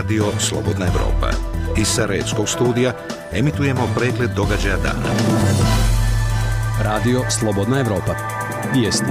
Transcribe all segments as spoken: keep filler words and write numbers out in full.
Radio Slobodna Evropa. Iz Sarajevskog studija emitujemo pregled događaja dana. Radio Slobodna Evropa. Vijesti.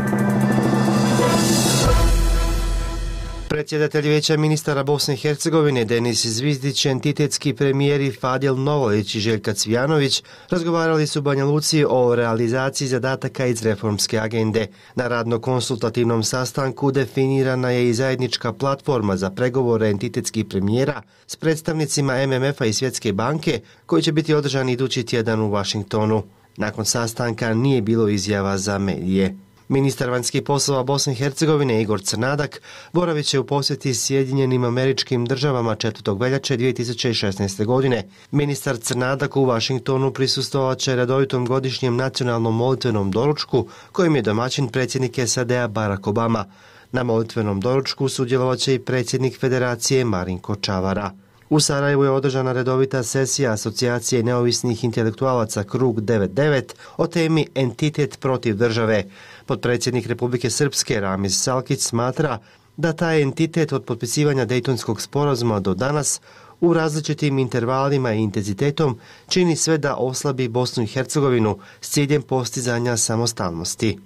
Predsjedatelj Vijeća ministara Bosne i Hercegovine Denis Zvizdić, entitetski premijeri Fadil Novolić i Željka Cvijanović razgovarali su u Banja Luci o realizaciji zadataka iz reformske agende. Na radno-konsultativnom sastanku definirana je i zajednička platforma za pregovore entitetskih premijera s predstavnicima M M F-a i Svjetske banke koji će biti održani idući tjedan u Vašingtonu. Nakon sastanka nije bilo izjava za medije. Ministar vanjskih poslova Bosne i Hercegovine Igor Crnadak boravit će u posjeti Sjedinjenim Američkim Državama četvrtog veljače dvije tisuće šesnaeste. godine. Ministar Crnadak u Vašingtonu prisustvovat će redovitom godišnjem nacionalnom molitvenom doručku kojim je domaćin predsjednik S A D-a Barack Obama. Na molitvenom doručku sudjelovat će i predsjednik Federacije Marinko Čavara. U Sarajevu je održana redovita sesija Asocijacije neovisnih intelektualaca Krug devedeset devet o temi Entitet protiv države. Potpredsjednik Republike Srpske Ramiz Salkić smatra da taj entitet od potpisivanja Dejtonskog sporazuma do danas u različitim intervalima i intenzitetom čini sve da oslabi Bosnu i Hercegovinu s ciljem postizanja samostalnosti.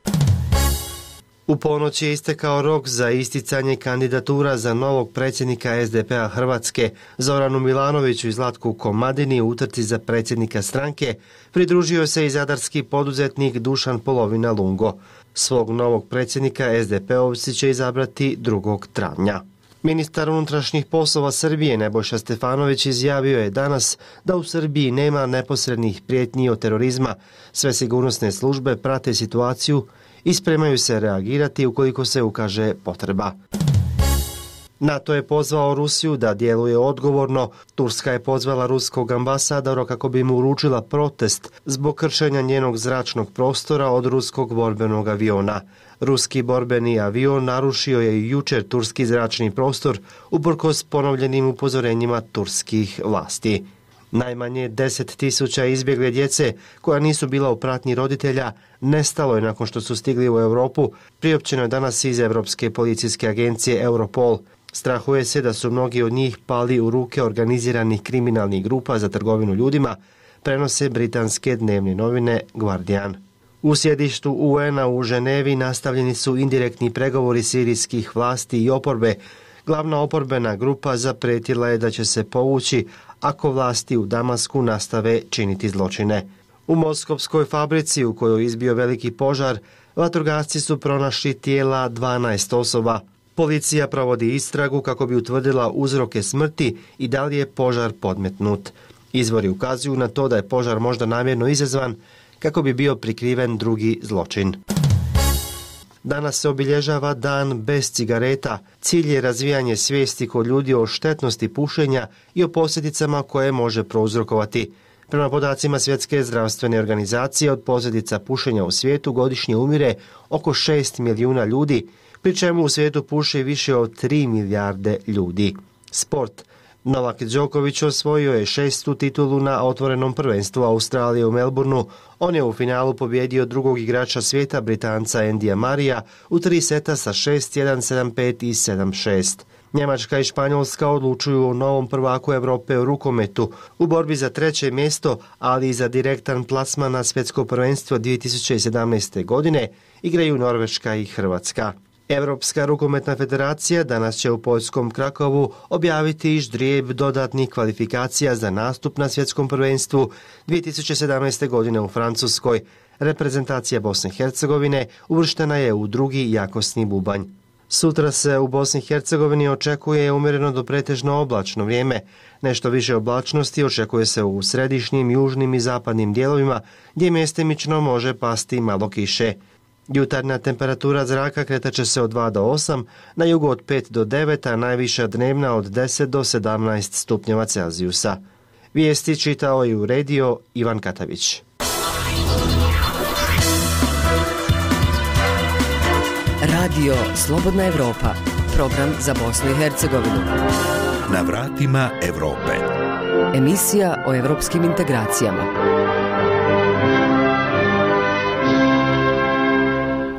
U ponoć je istekao rok za isticanje kandidatura za novog predsjednika S D P-a Hrvatske. Zoranu Milanoviću i Zlatku Komadini u utrci za predsjednika stranke pridružio se i zadarski poduzetnik Dušan Polovina Lungo. Svog novog predsjednika S D P-ovci će izabrati drugog travnja. Ministar unutrašnjih poslova Srbije Nebojša Stefanović izjavio je danas da u Srbiji nema neposrednih prijetnji od terorizma. Sve sigurnosne službe prate situaciju i spremaju se reagirati ukoliko se ukaže potreba. NATO je pozvao Rusiju da djeluje odgovorno. Turska je pozvala ruskog ambasadora kako bi mu uručila protest zbog kršenja njenog zračnog prostora od ruskog borbenog aviona. Ruski borbeni avion narušio je i jučer turski zračni prostor uprkos ponovljenim upozorenjima turskih vlasti. Najmanje deset tisuća izbjegle djece koja nisu bila u pratnji roditelja nestalo je nakon što su stigli u Europu, priopćeno je danas iz Europske policijske agencije Europol. Strahuje se da su mnogi od njih pali u ruke organiziranih kriminalnih grupa za trgovinu ljudima, prenose britanske dnevne novine Guardian. U sjedištu U N-a u Ženevi nastavljeni su indirektni pregovori sirijskih vlasti i oporbe. Glavna oporbena grupa zaprijetila je da će se povući ako vlasti u Damasku nastave činiti zločine. U moskovskoj fabrici u kojoj je izbio veliki požar, vatrogasci su pronašli tijela dvanaest osoba. Policija provodi istragu kako bi utvrdila uzroke smrti i da li je požar podmetnut. Izvori ukazuju na to da je požar možda namjerno izazvan kako bi bio prikriven drugi zločin. Danas se obilježava dan bez cigareta. Cilj je razvijanje svijesti kod ljudi o štetnosti pušenja i o posljedicama koje može prouzrokovati. Prema podacima Svjetske zdravstvene organizacije, od posljedica pušenja u svijetu godišnje umire oko šest milijuna ljudi, pri čemu u svijetu puši više od tri milijarde ljudi. Sport. Novak Đoković osvojio je šestu titulu na otvorenom prvenstvu Australije u Melbourneu. On je u finalu pobjedio drugog igrača svijeta, Britanca Andyja Murraya, u tri seta sa šest jedan, sedam pet i sedam šest. Njemačka i Španjolska odlučuju o novom prvaku Europe u rukometu u borbi za treće mjesto, ali i za direktan plasman na svjetsko prvenstvo dvije tisuće sedamnaeste. godine igraju Norveška i Hrvatska. Europska rukometna federacija danas će u poljskom Krakovu objaviti ždrijeb dodatnih kvalifikacija za nastup na svjetskom prvenstvu dvije tisuće sedamnaeste. godine u Francuskoj. Reprezentacija Bosne i Hercegovine uvrštena je u drugi jakosni bubanj. Sutra se u Bosni i Hercegovini očekuje umjereno do pretežno oblačno vrijeme. Nešto više oblačnosti očekuje se u središnjim, južnim i zapadnim dijelovima gdje mjestimično može pasti malo kiše. Jutarnja temperatura zraka kretat će se od dva do osam, na jugu od pet do devet, a najviša dnevna od deset do sedamnaest stupnjeva Celzijusa. Vijesti čitao i uredio Ivan Katavić. Radio Slobodna Evropa, program za Bosnu i Hercegovinu. Na vratima Europe. Emisija o evropskim integracijama.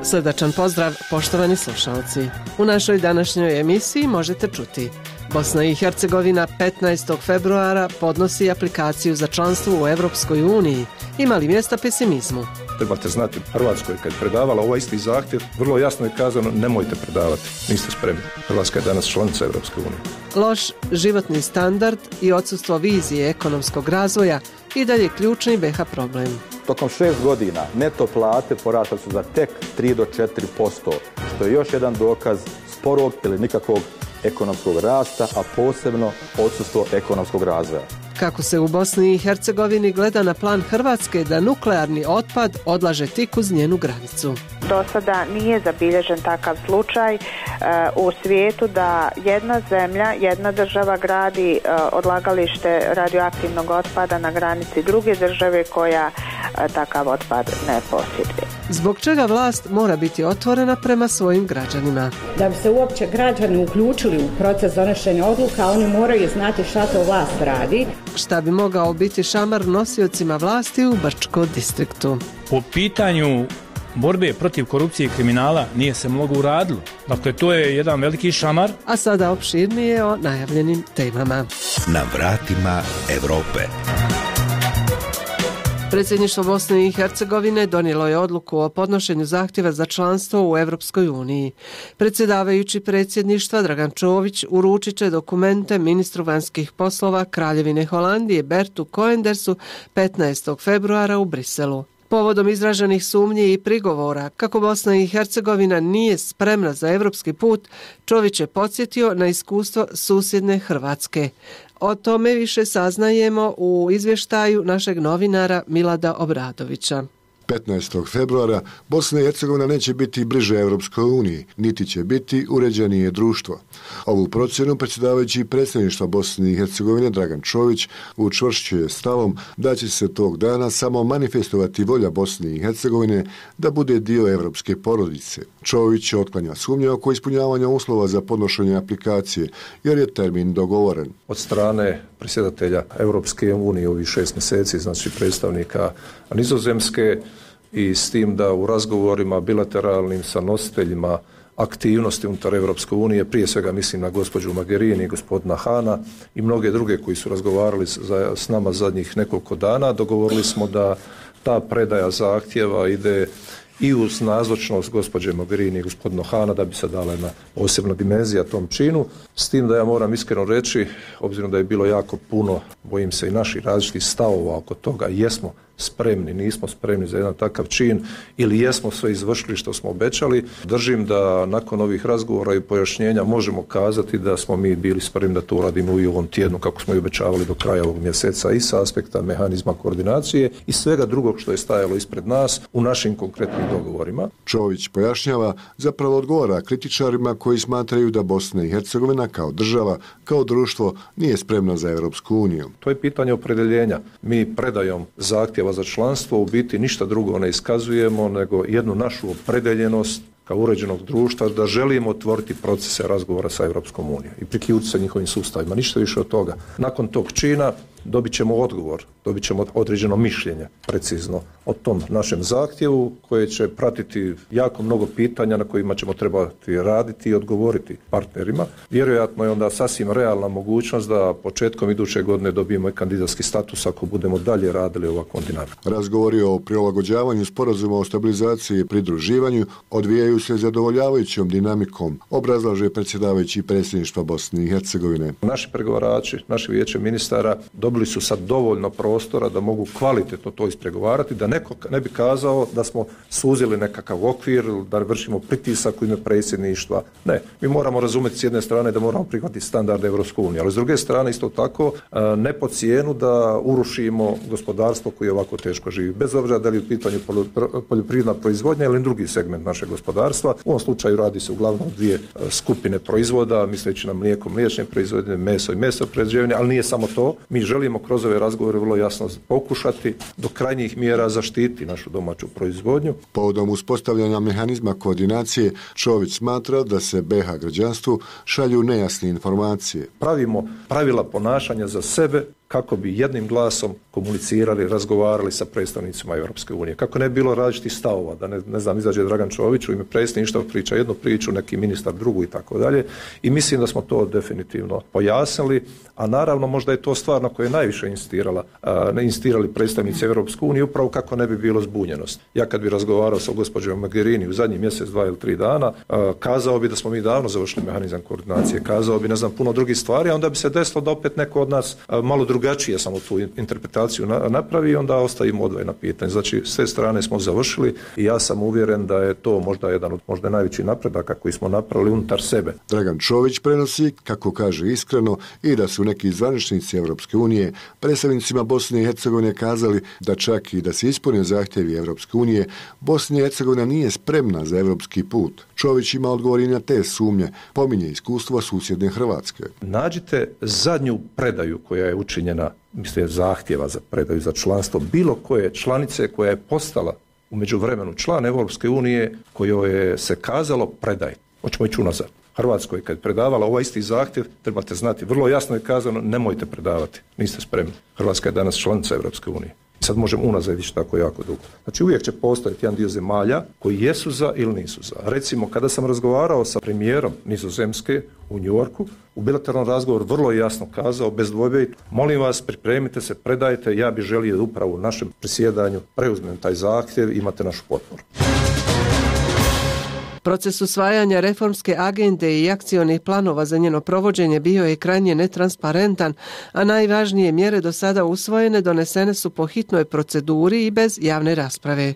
Srdačan pozdrav, poštovani slušalci. U našoj današnjoj emisiji možete čuti: Bosna i Hercegovina petnaestog februara podnosi aplikaciju za članstvo u Evropskoj uniji. Ima li mjesta pesimizmu? Trebate znati, Hrvatskoj kad je predavala ovaj isti zahtjev, vrlo jasno je kazano nemojte predavati, niste spremni. Hrvatska je danas članica Evropske unije. Loš životni standard i odsustvo vizije ekonomskog razvoja i dalje ključni B iH problem. Tokom šest godina neto plate porasle su za tek tri do četiri posto, što je još jedan dokaz sporog ili nikakvog ekonomskog rasta, a posebno odsustvo ekonomskog razvoja. Kako se u Bosni i Hercegovini gleda na plan Hrvatske da nuklearni otpad odlaže tik uz njenu granicu? Do sada nije zabilježen takav slučaj e, u svijetu da jedna zemlja, jedna država gradi e, odlagalište radioaktivnog otpada na granici druge države koja e, takav otpad ne posjeduje. Zbog čega vlast mora biti otvorena prema svojim građanima? Da bi se uopće građani uključili u proces donošenja odluka, oni moraju znati šta to vlast radi. Šta bi mogao biti šamar nosiocima vlasti u Brčko distriktu? Po pitanju borbe protiv korupcije i kriminala nije se mnogo uradilo. Dakle, to je jedan veliki šamar. A sada opširnije o najavljenim temama. Na vratima Evrope. Predsjedništvo Bosne i Hercegovine donijelo je odluku o podnošenju zahtjeva za članstvo u Evropskoj uniji. Predsjedavajući predsjedništva Dragan Čović uručit će dokumente ministru vanjskih poslova Kraljevine Holandije Bertu Koendersu petnaestog februara u Briselu. Povodom izraženih sumnji i prigovora kako Bosna i Hercegovina nije spremna za evropski put, Čović je podsjetio na iskustvo susjedne Hrvatske. O tome više saznajemo u izvještaju našeg novinara Milada Obradovića. petnaestog februara Bosna i Hercegovina neće biti bliže Evropskoj uniji, niti će biti uređenije društvo. Ovu procjenu predsjedavajući predsjedništva Bosne i Hercegovine Dragan Čović učvršćuje stavom da će se tog dana samo manifestovati volja Bosne i Hercegovine da bude dio evropske porodice. Čović otklanja sumnje oko ispunjavanja uslova za podnošenje aplikacije, jer je termin dogovoren. Od strane predsjedatelja Evropske unije ovih šest mjeseci, znači predstavnika Nizozemske, i s tim da u razgovorima bilateralnim sa nositeljima aktivnosti unutar Evropske unije, prije svega mislim na gospođu Mogherini i gospodina Hana i mnoge druge koji su razgovarali za, s nama zadnjih nekoliko dana, dogovorili smo da ta predaja zahtjeva ide i uz nazočnost gospođe Mogherini i gospodina Hana da bi se dala jedna posebna dimenzija tom činu. S tim da ja moram iskreno reći, obzirom da je bilo jako puno, bojim se i naših različitih stavova oko toga, jesmo spremni, nismo spremni za jedan takav čin ili jesmo sve izvršili što smo obećali. Držim da nakon ovih razgovora i pojašnjenja možemo kazati da smo mi bili spremni da to uradimo i u ovom tjednu kako smo i obećavali do kraja ovog mjeseca i sa aspekta mehanizma koordinacije i svega drugog što je stajalo ispred nas u našim konkretnim dogovorima. Čović pojašnjava, zapravo odgovara kritičarima koji smatraju da Bosna i Hercegovina kao država, kao društvo nije spremna za Evropsku uniju. To je pitanje opredjeljenja. Mi predajom zahtjeva za članstvo u biti ništa drugo ne iskazujemo nego jednu našu opredeljenost kao uređenog društva da želimo otvoriti procese razgovora sa Evropskom unijom i priključiti se njihovim sustavima. Ništa više od toga. Nakon tog čina dobit ćemo odgovor, dobit ćemo određeno mišljenje precizno o tom našem zahtjevu koje će pratiti jako mnogo pitanja na kojima ćemo trebati raditi i odgovoriti partnerima. Vjerojatno je onda sasvim realna mogućnost da početkom iduće godine dobijemo i kandidatski status ako budemo dalje radili ovakvom dinamikom. Razgovori o prilagođavanju sporazuma o stabilizaciji i pridruživanju odvijaju se zadovoljavajućom dinamikom, obrazlaže predsjedavajući predsjedništva Bosne i Hercegovine. Naši pregovarači, naše vijeće ministara dobili su sad dovoljno prostora da mogu kvalitetno to ispregovarati, da neko ne bi kazao da smo suzili nekakav okvir, da vršimo pritisak u ime predsjedništva. Ne, mi moramo razumjeti s jedne strane da moramo prihvatiti standarde Evropske unije, ali s druge strane isto tako ne po cijenu da urušimo gospodarstvo koje ovako teško živi. Bez obzira da li je u pitanju poljoprivredna proizvodnja ili drugi segment našeg gospodarstva. U ovom slučaju radi se uglavnom dvije skupine proizvoda, misleći na mlijeko, mliječne proizvode, meso i meso proizvodnje, ali nije samo to. Mi želimo kroz ove razgovore vrlo jasno pokušati do krajnjih mjera zaštiti našu domaću proizvodnju. Povodom uspostavljanja mehanizma koordinacije, Čović smatra da se B iH građanstvu šalju nejasne informacije. Pravimo pravila ponašanja za sebe kako bi jednim glasom komunicirali, razgovarali sa predstavnicima Europske unije. Kako ne bi bilo različitih stavova, da ne, ne znam, izađe Dragan Čović u ime predsjedništva, priča jednu priču, neki ministar drugu i tako dalje. I mislim da smo to definitivno pojasnili, a naravno možda je to stvar na koju je najviše insistirala, ne insistirali predstavnici Europske unije, upravo kako ne bi bilo zbunjenost. Ja kad bi razgovarao sa gospođom Mogherini u zadnjih mjesec, dva ili tri dana, kazao bi da smo mi davno završili mehanizam koordinacije, kazao bi ne znam puno drugih stvari, a onda bi se desilo da opet neko od nas malo drugačije samo tu interpretaciju napravi i onda ostavimo odvojena pitanja. Znači, s te strane smo završili i ja sam uvjeren da je to možda jedan od možda najvećih napredaka koji smo napravili unutar sebe. Dragan Čović prenosi, kako kaže iskreno, i da su neki zvaničnici Europske unije predstavnicima Bosne i Hercegovine kazali da čak i da se ispunio zahtjevi Europske unije, Bosna i Hercegovina nije spremna za europski put. Čović ima odgovor i na te sumnje, pominje iskustva susjedne Hrvatske. Nađite zadnju predaju koja je učinjena, mislim, zahtjeva za predaju za članstvo bilo koje članice koja je postala u međuvremenu član Europske unije kojoj je se kazalo predaj. Hoćemo ići unazad. Hrvatskoj kad je predavala ovaj isti zahtjev, trebate znati, vrlo jasno je kazano, nemojte predavati, niste spremni. Hrvatska je danas članica Europske unije. Sad možemo unazad ići tako jako dugo. Znači uvijek će postojati jedan dio zemalja koji jesu za ili nisu za. Recimo, kada sam razgovarao sa premijerom Nizozemske u New Yorku, u bilateralnom razgovoru vrlo jasno kazao, bez dvojbe, molim vas, pripremite se, predajte, ja bih želio da upravo u našem presjedanju preuzmem taj zahtjev, imate našu potporu. Proces usvajanja reformske agende i akcionih planova za njeno provođenje bio je krajnje netransparentan, a najvažnije mjere do sada usvojene donesene su po hitnoj proceduri i bez javne rasprave.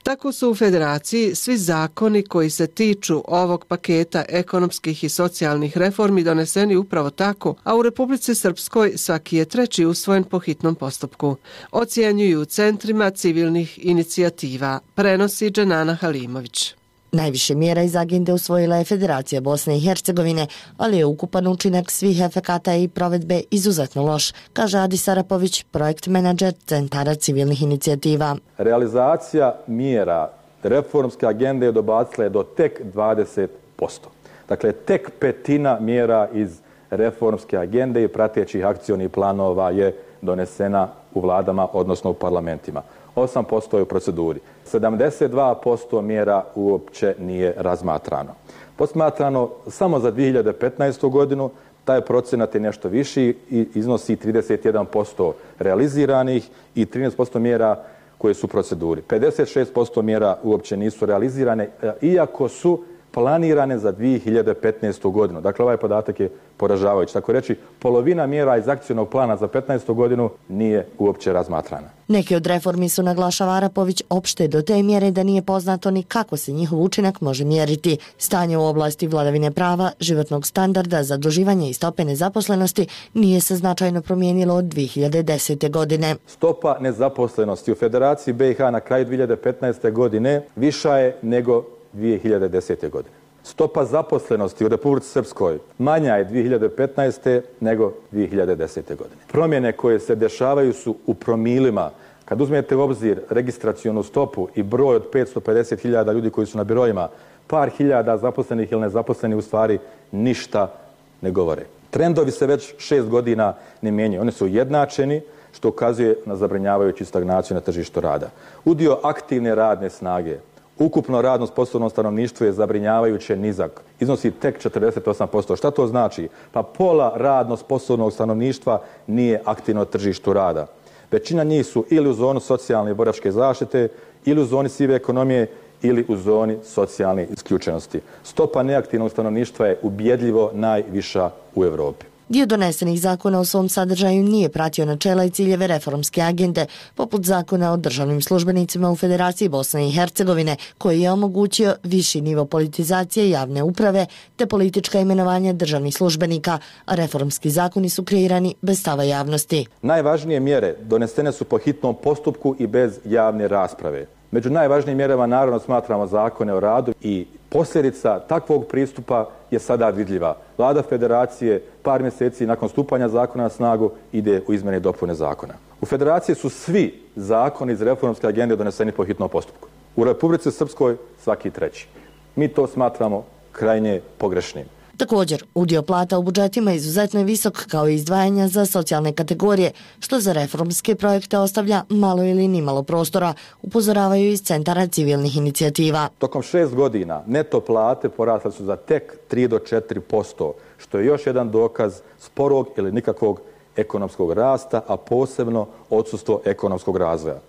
Tako su u Federaciji svi zakoni koji se tiču ovog paketa ekonomskih i socijalnih reformi doneseni upravo tako, a u Republici Srpskoj svaki je treći usvojen po hitnom postupku. Ocjenjuju u centrima civilnih inicijativa, prenosi Dženana Halimović. Najviše mjera iz agende usvojila je Federacija Bosne i Hercegovine, ali je ukupan učinak svih efekata i provedbe izuzetno loš, kaže Adi Sarapović, projekt menadžer Centara civilnih inicijativa. Realizacija mjera reformske agende je dobacila do tek dvadeset posto. Dakle, tek petina mjera iz reformske agende i pratećih akcionih planova je donesena u vladama, odnosno u parlamentima. osam posto je u proceduri. sedamdeset dva posto mjera uopće nije razmatrano. Posmatrano samo za dvije hiljade petnaestu. godinu, taj procenat je nešto viši i iznosi trideset jedan posto realiziranih i trinaest posto mjera koje su u proceduri. pedeset šest posto mjera uopće nisu realizirane, iako su planirane za dvije hiljade petnaestu. godinu. Dakle, ovaj podatak je poražavajući. Tako reći, polovina mjera iz akcionog plana za petnaestu. godinu nije uopće razmatrana. Neke od reformi su, naglašava Arapović, opšte do te mjere da nije poznato ni kako se njihov učinak može mjeriti. Stanje u oblasti vladavine prava, životnog standarda, zaduživanja i stope nezaposlenosti nije se značajno promijenilo od dvije hiljade desete. godine. Stopa nezaposlenosti u Federaciji B i H na kraju dvije hiljade petnaeste. godine viša je nego dvije hiljade desete. godine. Stopa zaposlenosti u Republici Srpskoj manja je dvije hiljade petnaeste. nego dvije hiljade desete. godine. Promjene koje se dešavaju su u promilima. Kad uzmete u obzir registracionu stopu i broj od petsto pedeset hiljada ljudi koji su na birojima, par hiljada zaposlenih ili nezaposlenih u stvari ništa ne govore. Trendovi se već šest godina ne mijenjaju. Oni su ujednačeni, što ukazuje na zabrinjavajuću stagnaciju na tržištu rada. Udio aktivne radne snage, ukupno radno sposobno stanovništvo je zabrinjavajuće nizak. Iznosi tek četrdeset osam posto. Šta to znači? Pa pola radno sposobnog stanovništva nije aktivno na tržištu rada. Većina njih su ili u zoni socijalne i boračke zaštite, ili u zoni sive ekonomije, ili u zoni socijalne isključenosti. Stopa neaktivnog stanovništva je ubjedljivo najviša u Europi. Dio donesenih zakona u svom sadržaju nije pratio načela i ciljeve reformske agende, poput zakona o državnim službenicima u Federaciji Bosne i Hercegovine, koji je omogućio viši nivo politizacije javne uprave te politička imenovanja državnih službenika, a reformski zakoni su kreirani bez stava javnosti. Najvažnije mjere donesene su po hitnom postupku i bez javne rasprave. Među najvažnijim mjerama naravno smatramo zakone o radu i posljedica takvog pristupa je sada vidljiva. Vlada Federacije par mjeseci nakon stupanja zakona na snagu ide u izmjene i dopune zakona. U Federaciji su svi zakoni iz reformske agende doneseni po hitnom postupku. U Republici Srpskoj svaki treći. Mi to smatramo krajnje pogrešnim. Također, udio plata u budžetima izuzetno je visok kao i izdvajanja za socijalne kategorije, što za reformske projekte ostavlja malo ili nimalo prostora, upozoravaju iz centara civilnih inicijativa. Tokom šest godina neto plate porasle su za tek tri do četiri posto, što je još jedan dokaz sporog ili nikakvog ekonomskog rasta, a posebno odsustvo ekonomskog razvoja.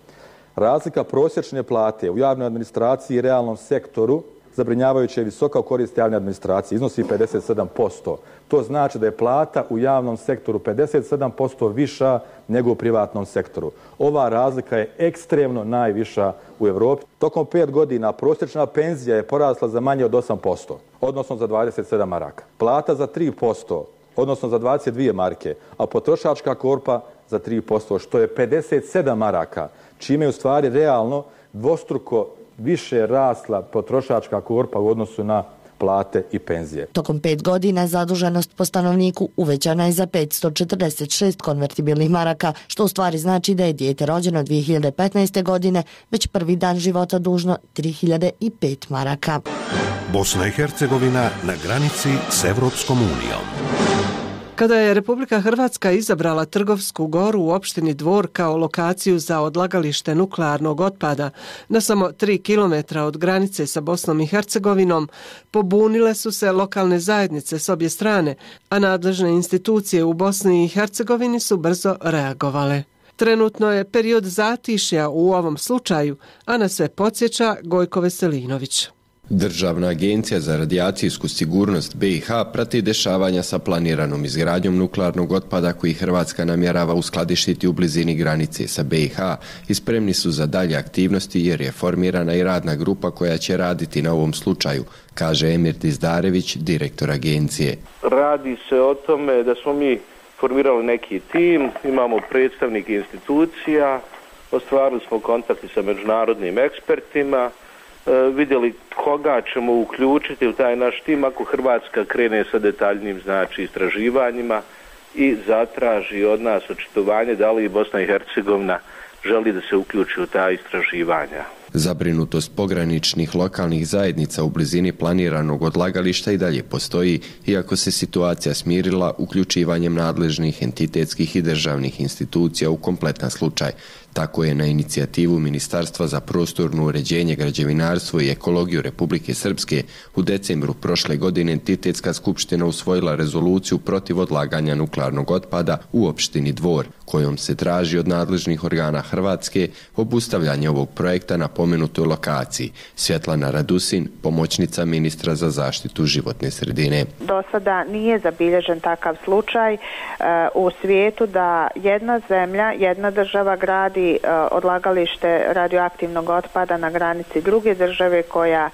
Razlika prosječne plate u javnoj administraciji i realnom sektoru zabrinjavajuće je visoka u korist javne administracije, iznosi pedeset sedam posto. To znači da je plata u javnom sektoru pedeset sedam posto viša nego u privatnom sektoru. Ova razlika je ekstremno najviša u Europi. Tokom pet godina prosječna penzija je porasla za manje od osam posto, odnosno za dvadeset sedam maraka. Plata za tri posto, odnosno za dvadeset dvije marke, a potrošačka korpa za tri posto, što je pedeset sedam maraka, čime je u stvari realno dvostruko više rasla potrošačka korpa u odnosu na plate i penzije. Tokom pet godina zaduženost po stanovniku uvećana je za petsto četrdeset šest konvertibilnih maraka, što u stvari znači da je dijete rođeno dvije hiljade petnaeste. godine već prvi dan života dužno tri hiljade pet maraka. Bosna i Hercegovina na granici s Evropskom unijom. Kada je Republika Hrvatska izabrala Trgovsku goru u opštini Dvor kao lokaciju za odlagalište nuklearnog otpada na samo tri kilometra od granice sa Bosnom i Hercegovinom, pobunile su se lokalne zajednice s obje strane, a nadležne institucije u Bosni i Hercegovini su brzo reagovale. Trenutno je period zatišja u ovom slučaju, a na sve podsjeća Gojko Veselinović. Državna agencija za radijacijsku sigurnost B i H prati dešavanja sa planiranom izgradnjom nuklearnog otpada koji Hrvatska namjerava uskladištiti u blizini granice sa B i H i spremni su za dalje aktivnosti jer je formirana i radna grupa koja će raditi na ovom slučaju, kaže Emir Dizdarević, direktor agencije. Radi se o tome da smo mi formirali neki tim, imamo predstavnike institucija, ostvarili smo kontakte sa međunarodnim ekspertima, vidjeli koga ćemo uključiti u taj naš tim ako Hrvatska krene sa detaljnim znači istraživanjima i zatraži od nas očitovanje da li Bosna i Hercegovina želi da se uključi u ta istraživanja. Zabrinutost pograničnih lokalnih zajednica u blizini planiranog odlagališta i dalje postoji, iako se situacija smirila uključivanjem nadležnih entitetskih i državnih institucija u kompletan slučaj. Tako je na inicijativu Ministarstva za prostorno uređenje, građevinarstvo i ekologiju Republike Srpske u decembru prošle godine entitetska skupština usvojila rezoluciju protiv odlaganja nuklearnog otpada u opštini Dvor, kojom se traži od nadležnih organa Hrvatske obustavljanje ovog projekta na pomenutoj lokaciji. Svjetlana Radusin, pomoćnica ministra za zaštitu životne sredine. Do sada nije zabilježen takav slučaj u svijetu da jedna zemlja, jedna država gradi odlagalište radioaktivnog otpada na granici druge države koja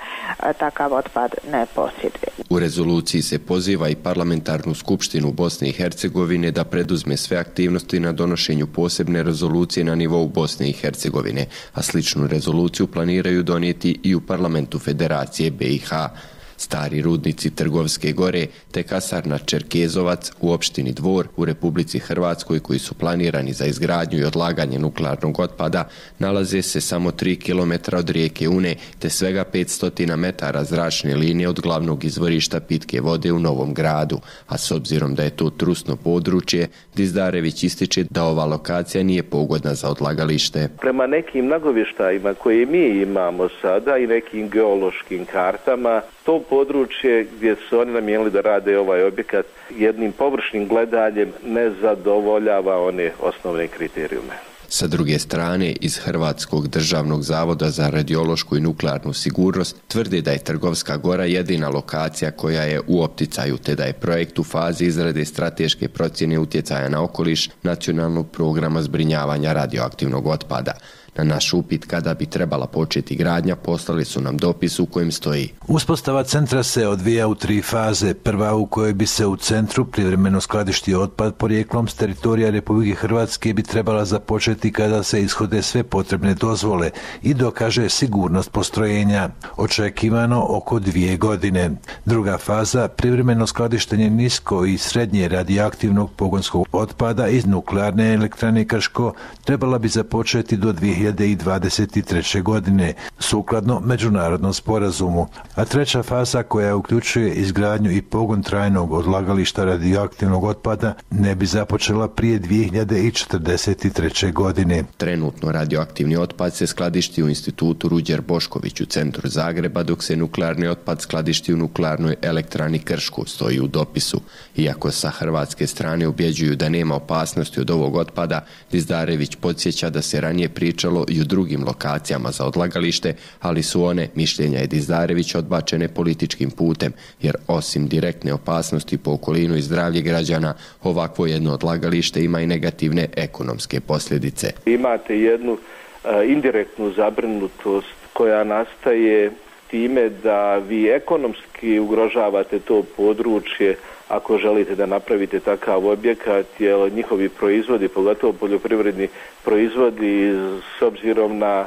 takav otpad ne posjeduje. U rezoluciji se poziva i parlamentarnu skupštinu Bosne i Hercegovine da preduzme sve aktivnosti na donošenju posebne rezolucije na nivou Bosne i Hercegovine, a sličnu rezoluciju planiraju donijeti i u parlamentu Federacije B i H. Stari rudnici Trgovske gore te kasarna Čerkezovac u opštini Dvor u Republici Hrvatskoj koji su planirani za izgradnju i odlaganje nuklearnog otpada nalaze se samo tri kilometra od rijeke Une te svega petsto metara zračne linije od glavnog izvorišta pitke vode u Novom Gradu, a s obzirom da je to trusno područje, Dizdarević ističe da ova lokacija nije pogodna za odlagalište. Prema nekim nagovještajima koje mi imamo sada i nekim geološkim kartama, to područje gdje su oni namijenili da rade ovaj objekat jednim površnim gledanjem ne zadovoljava one osnovne kriterijume. Sa druge strane, iz Hrvatskog državnog zavoda za radiološku i nuklearnu sigurnost tvrde da je Trgovska gora jedina lokacija koja je u opticaju, te da je projekt u fazi izrade strateške procjene utjecaja na okoliš nacionalnog programa zbrinjavanja radioaktivnog otpada. Na naš upit kada bi trebala početi gradnja poslali su nam dopis u kojem stoji: Uspostava centra se odvija u tri faze. Prva u kojoj bi se u centru privremeno skladištio otpad porijeklom s teritorija Republike Hrvatske bi trebala započeti kada se ishode sve potrebne dozvole i dokaže sigurnost postrojenja. Očekivano oko dvije godine. Druga faza, privremeno skladištenje nisko i srednje radioaktivnog pogonskog otpada iz nuklearne elektrane Krško trebala bi započeti do dvije hiljade dvadeset treće. godine, sukladno međunarodnom sporazumu. A treća faza, koja uključuje izgradnju i pogon trajnog odlagališta radioaktivnog otpada, ne bi započela prije dvije hiljade četrdeset treće. godine. Trenutno radioaktivni otpad se skladišti u Institutu Ruđer Bošković u centru Zagreba, dok se nuklearni otpad skladišti u nuklearnoj elektrani Krško, stoji u dopisu. Iako sa hrvatske strane ubjeđuju da nema opasnosti od ovog otpada, Dizdarević podsjeća da se ranije pričalo i o drugim lokacijama za odlagalište, ali su one, mišljenja je Dizdarević, odbačene političkim putem, jer osim direktne opasnosti po okolinu i zdravlje građana, ovakvo jedno odlagalište ima i negativne ekonomske posljedice. Imate jednu a, indirektnu zabrinutost koja nastaje time da vi ekonomski ugrožavate to područje ako želite da napravite takav objekat, jer njihovi proizvodi, pogotovo poljoprivredni proizvodi, s obzirom na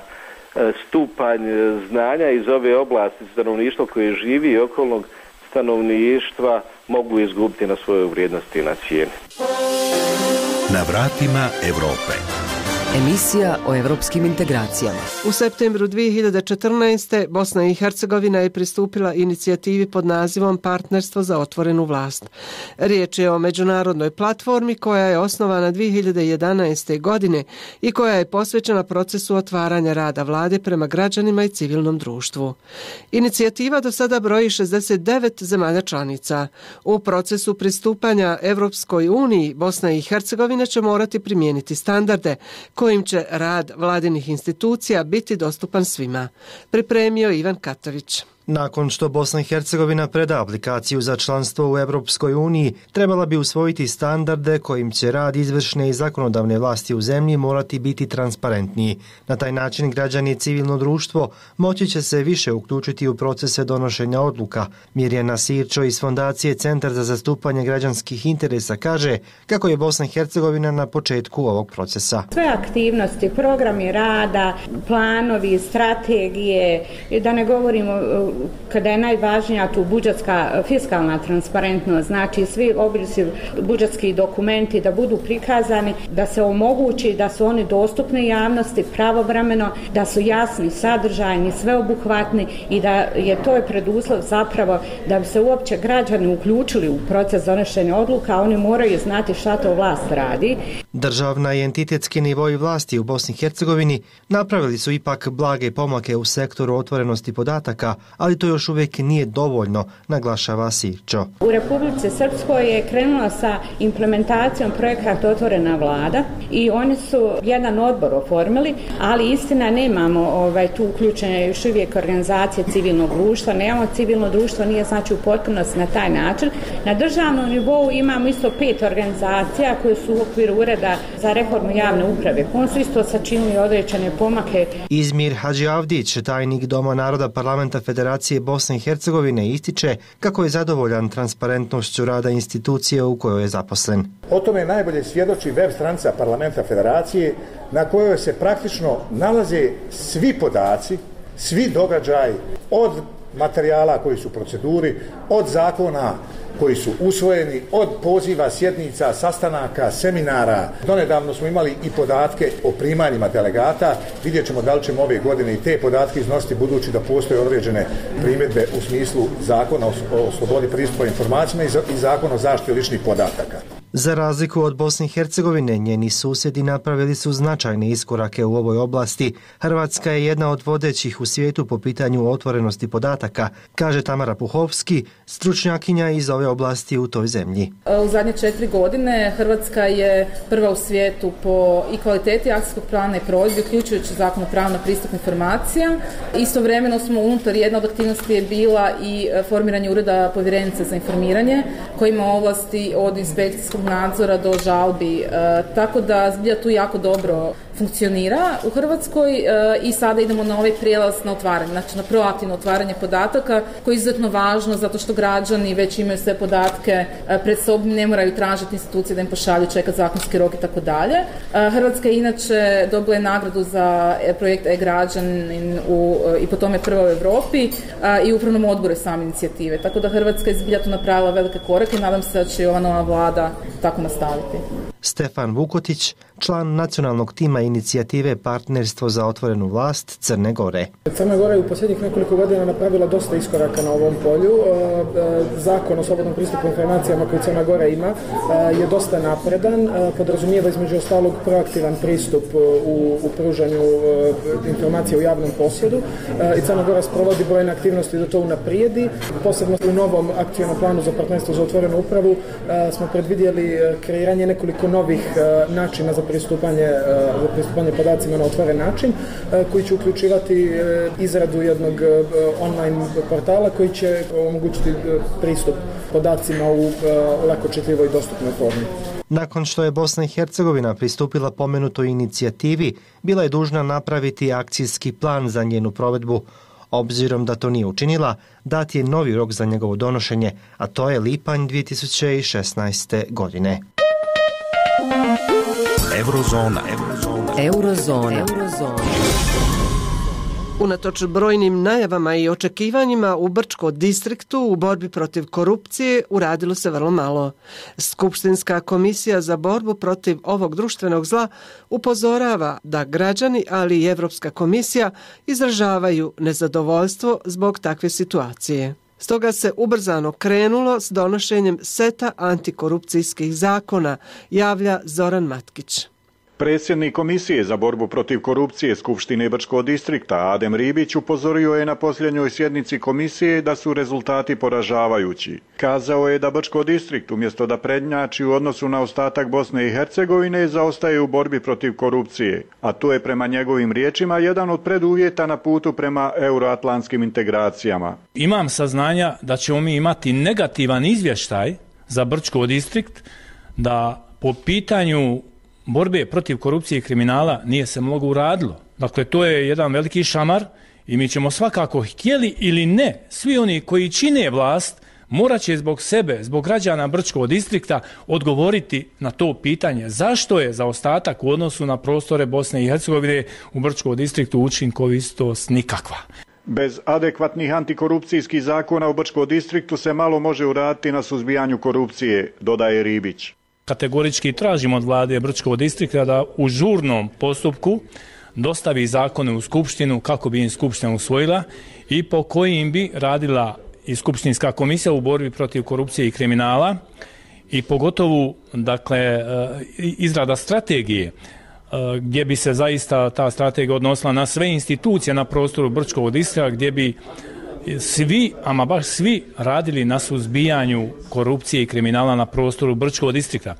stupanj znanja iz ove oblasti stanovništva koje živi i okolnog stanovništva, mogu izgubiti na svojoj vrijednosti i na cijeni. Na vratima Europe. Emisija o evropskim integracijama. U septembru dvije hiljade četrnaeste. Bosna i Hercegovina je pristupila inicijativi pod nazivom Partnerstvo za otvorenu vlast. Riječ je o međunarodnoj platformi koja je osnovana dvije hiljade jedanaeste. godine i koja je posvećena procesu otvaranja rada vlade prema građanima i civilnom društvu. Inicijativa do sada broji šezdeset devet zemalja članica. U procesu pristupanja Evropskoj uniji Bosna i Hercegovina će morati primijeniti standarde kojim će rad vladinih institucija biti dostupan svima. Pripremio Ivan Katović. Nakon što Bosna i Hercegovina preda aplikaciju za članstvo u Evropskoj uniji, trebala bi usvojiti standarde kojim će rad izvršne i zakonodavne vlasti u zemlji morati biti transparentniji. Na taj način građani i civilno društvo moći će se više uključiti u procese donošenja odluka. Mirjana Sirčo iz Fondacije Centar za zastupanje građanskih interesa kaže kako je Bosna i Hercegovina na početku ovog procesa. Sve aktivnosti, programi rada, planovi, strategije, da ne govorimo kada je najvažnija tu budžetska fiskalna transparentnost, znači svi oblisi budžetski dokumenti da budu prikazani, da se omogući da su oni dostupni javnosti pravovremeno, da su jasni, sadržajni, sveobuhvatni i da je to je preduslov zapravo da bi se uopće građani uključili u proces donošenja odluka, oni moraju znati šta to vlast radi. Državna i entitetski nivoi vlasti u Bosni i Hercegovini napravili su ipak blage pomake u sektoru otvorenosti podataka, ali to još uvijek nije dovoljno, naglašava Sirčo. U Republici Srpskoj je krenula sa implementacijom projekata Otvorena vlada i oni su jedan odbor oformili, ali istina nemamo ovaj, tu uključenje još uvijek organizacije civilnog društva, nemamo civilno društvo, nije znači u potpunosti na taj način. Na državnom nivou imamo isto pet organizacija koje su u okviru Ureda za reformu javne uprave. On su isto sačinili određene pomake. Izmir Hadži Avdić, tajnik Doma naroda Parlamenta Federacije Bosne i Hercegovine, ističe kako je zadovoljan transparentnošću rada institucije u kojoj je zaposlen. O tome najbolje svjedoči web stranica Parlamenta Federacije na kojoj se praktično nalaze svi podaci, svi događaji od materijala koji su u proceduri, od zakona koji su usvojeni, od poziva, sjednica, sastanaka, seminara. Donedavno smo imali i podatke o primanjima delegata. Vidjet ćemo da li ćemo ove godine i te podatke iznositi, budući da postoje određene primjedbe u smislu zakona o slobodi pristupa informacijama i zakona o zaštiti ličnih podataka. Za razliku od Bosne i Hercegovine, njeni susjedi napravili su značajne iskorake u ovoj oblasti. Hrvatska je jedna od vodećih u svijetu po pitanju otvorenosti podataka, kaže Tamara Puhovski, stručnjakinja iz ove oblasti u toj zemlji. U zadnje četiri godine Hrvatska je prva u svijetu po i kvaliteti akcijskog plana i provedbi, uključujući zakon o pravu na pristup informacija. Istovremeno smo unutar, jedna od aktivnosti je bila i formiranje ureda povjerenice za informiranje, koji ima ovlasti od inspekcijskog nadzora do žalbi, e, tako da zbilja tu jako dobro funkcionira u Hrvatskoj e, i sada idemo na ovaj prijelaz na otvaranje, znači na proaktivno otvaranje podataka, koje je izuzetno važno zato što građani već imaju sve podatke e, pred sobom, ne moraju tražiti institucije da im pošalju, čekati zakonski rok i tako dalje. Hrvatska je inače dobila je nagradu za projekt e-građanin u, i po tome prva u Europi a, i u upravnom odboru same inicijative, tako da Hrvatska je zbilja tu napravila velike korake i nadam se da će ova nova vlada tako nastaviti. Stefan Vukotić, član nacionalnog tima inicijative Partnerstvo za otvorenu vlast Crne Gore. Crna Gora je u posljednjih nekoliko godina napravila dosta iskoraka na ovom polju. Zakon o slobodnom pristupu informacijama koji Crna Gora ima je dosta napredan, podrazumijeva između ostalog proaktivan pristup u, u pružanju informacija u javnom posjedu i Crna Gora sprovodi brojne aktivnosti da to unaprijedi. Posebno u novom akcijnom planu za partnerstvo za otvorenu upravu smo predvidjeli kreiranje nekoliko novih načina za pristupanje, za pristupanje podacima na otvoren način, koji će uključivati izradu jednog online portala koji će omogućiti pristup podacima u lako čitljivoj i dostupnoj formi. Nakon što je Bosna i Hercegovina pristupila pomenutoj inicijativi, bila je dužna napraviti akcijski plan za njenu provedbu. Obzirom da to nije učinila, dat je novi rok za njegovo donošenje, a to je lipanj dvije tisuće šesnaeste. godine. Eurozona. Eurozona. Eurozona. Eurozona. Unatoč brojnim najavama i očekivanjima u Brčko distriktu u borbi protiv korupcije uradilo se vrlo malo. Skupštinska komisija za borbu protiv ovog društvenog zla upozorava da građani, ali i Evropska komisija izražavaju nezadovoljstvo zbog takve situacije. Stoga se ubrzano krenulo s donošenjem seta antikorupcijskih zakona, javlja Zoran Matkić. Predsjednik Komisije za borbu protiv korupcije Skupštine Brčkog distrikta Adem Ribić upozorio je na posljednjoj sjednici komisije da su rezultati poražavajući. Kazao je da Brčko distrikt umjesto da prednjači u odnosu na ostatak Bosne i Hercegovine zaostaje u borbi protiv korupcije, a to je prema njegovim riječima jedan od preduvjeta na putu prema euroatlantskim integracijama. Imam saznanja da ćemo mi imati negativan izvještaj za Brčko distrikt, da po pitanju borbe protiv korupcije i kriminala nije se mnogo uradilo. Dakle, to je jedan veliki šamar i mi ćemo svakako, htjeli ili ne, svi oni koji čine vlast morat će zbog sebe, zbog građana Brčkog distrikta odgovoriti na to pitanje. Zašto je zaostatak u odnosu na prostore Bosne i Hercegovine u Brčkom distriktu učinkovitost nikakva? Bez adekvatnih antikorupcijskih zakona u Brčkom distriktu se malo može uraditi na suzbijanju korupcije, dodaje Ribić. Kategorički tražimo od vlade Brčkog distrikta da u žurnom postupku dostavi zakone u Skupštinu kako bi im Skupština usvojila i po kojim bi radila i Skupštinska komisija u borbi protiv korupcije i kriminala i pogotovo dakle, izrada strategije gdje bi se zaista ta strategija odnosila na sve institucije na prostoru Brčkog distrikta, gdje bi svi, ama baš svi, radili na suzbijanju korupcije i kriminala na prostoru Brčkog distrikta.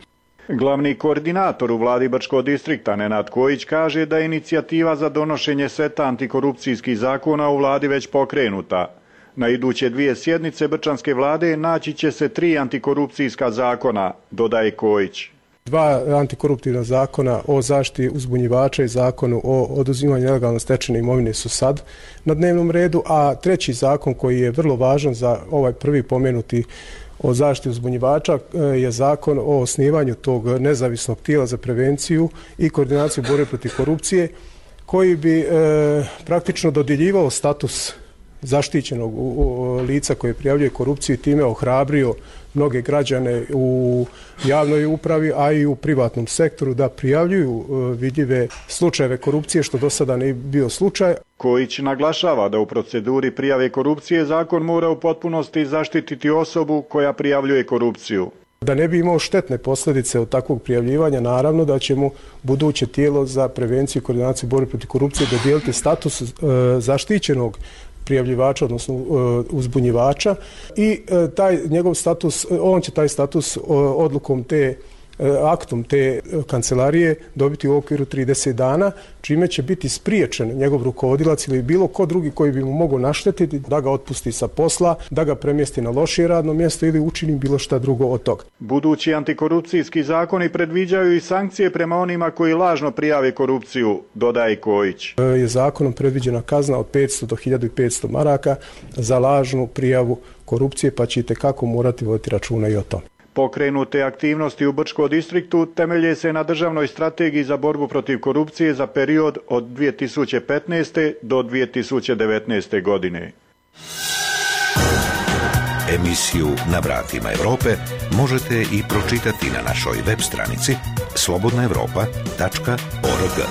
Glavni koordinator u vladi Brčkog distrikta Nenad Kojić kaže da je inicijativa za donošenje seta antikorupcijskih zakona u vladi već pokrenuta. Na iduće dvije sjednice Brčanske vlade naći će se tri antikorupcijska zakona, dodaje Kojić. Dva antikoruptivna zakona o zaštiti uzbunjivača i zakonu o oduzimanju nelegalno stečene imovine su sad na dnevnom redu, a treći zakon koji je vrlo važan za ovaj prvi pomenuti o zaštiti uzbunjivača je zakon o osnivanju tog nezavisnog tijela za prevenciju i koordinaciju borbe protiv korupcije, koji bi e, praktično dodjeljivao status zaštićenog lica koje prijavljuje korupciju i time ohrabrio mnoge građane u javnoj upravi, a i u privatnom sektoru da prijavljuju vidljive slučajeve korupcije, što do sada nije bio slučaj. Kojić naglašava da u proceduri prijave korupcije zakon mora u potpunosti zaštititi osobu koja prijavljuje korupciju. Da ne bi imao štetne posljedice od takvog prijavljivanja, naravno da će mu buduće tijelo za prevenciju i koordinaciju borbe protiv korupcije dodijeliti status e, zaštićenog prijavljivača, odnosno uzbunjivača i taj njegov status, on će taj status odlukom te aktom te kancelarije dobiti u okviru trideset dana, čime će biti spriječen njegov rukovodilac ili bilo ko drugi koji bi mu mogao naštetiti da ga otpusti sa posla, da ga premjesti na lošije radno mjesto ili učini bilo šta drugo od toga. Budući antikorupcijski zakoni predviđaju i sankcije prema onima koji lažno prijave korupciju, dodaje Kojić. Je zakonom predviđena kazna od petsto do hiljadu petsto maraka za lažnu prijavu korupcije, pa ćete kako morati voditi računa i o tome. Pokrenute aktivnosti u Brčkom distriktu temelje se na državnoj strategiji za borbu protiv korupcije za period od dvije tisuće petnaeste. do dvije tisuće devetnaeste. godine. Emisiju Na vratima Europe možete i pročitati na našoj web stranici slobodna evropa tačka org.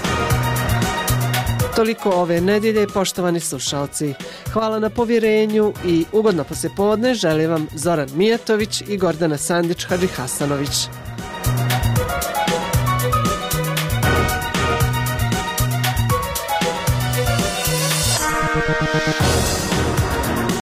Toliko ove nedjelje, poštovani slušalci. Hvala na povjerenju i ugodno poslijepodne želim vam Zoran Mijatović i Gordana Sandić-Hadžihasanović.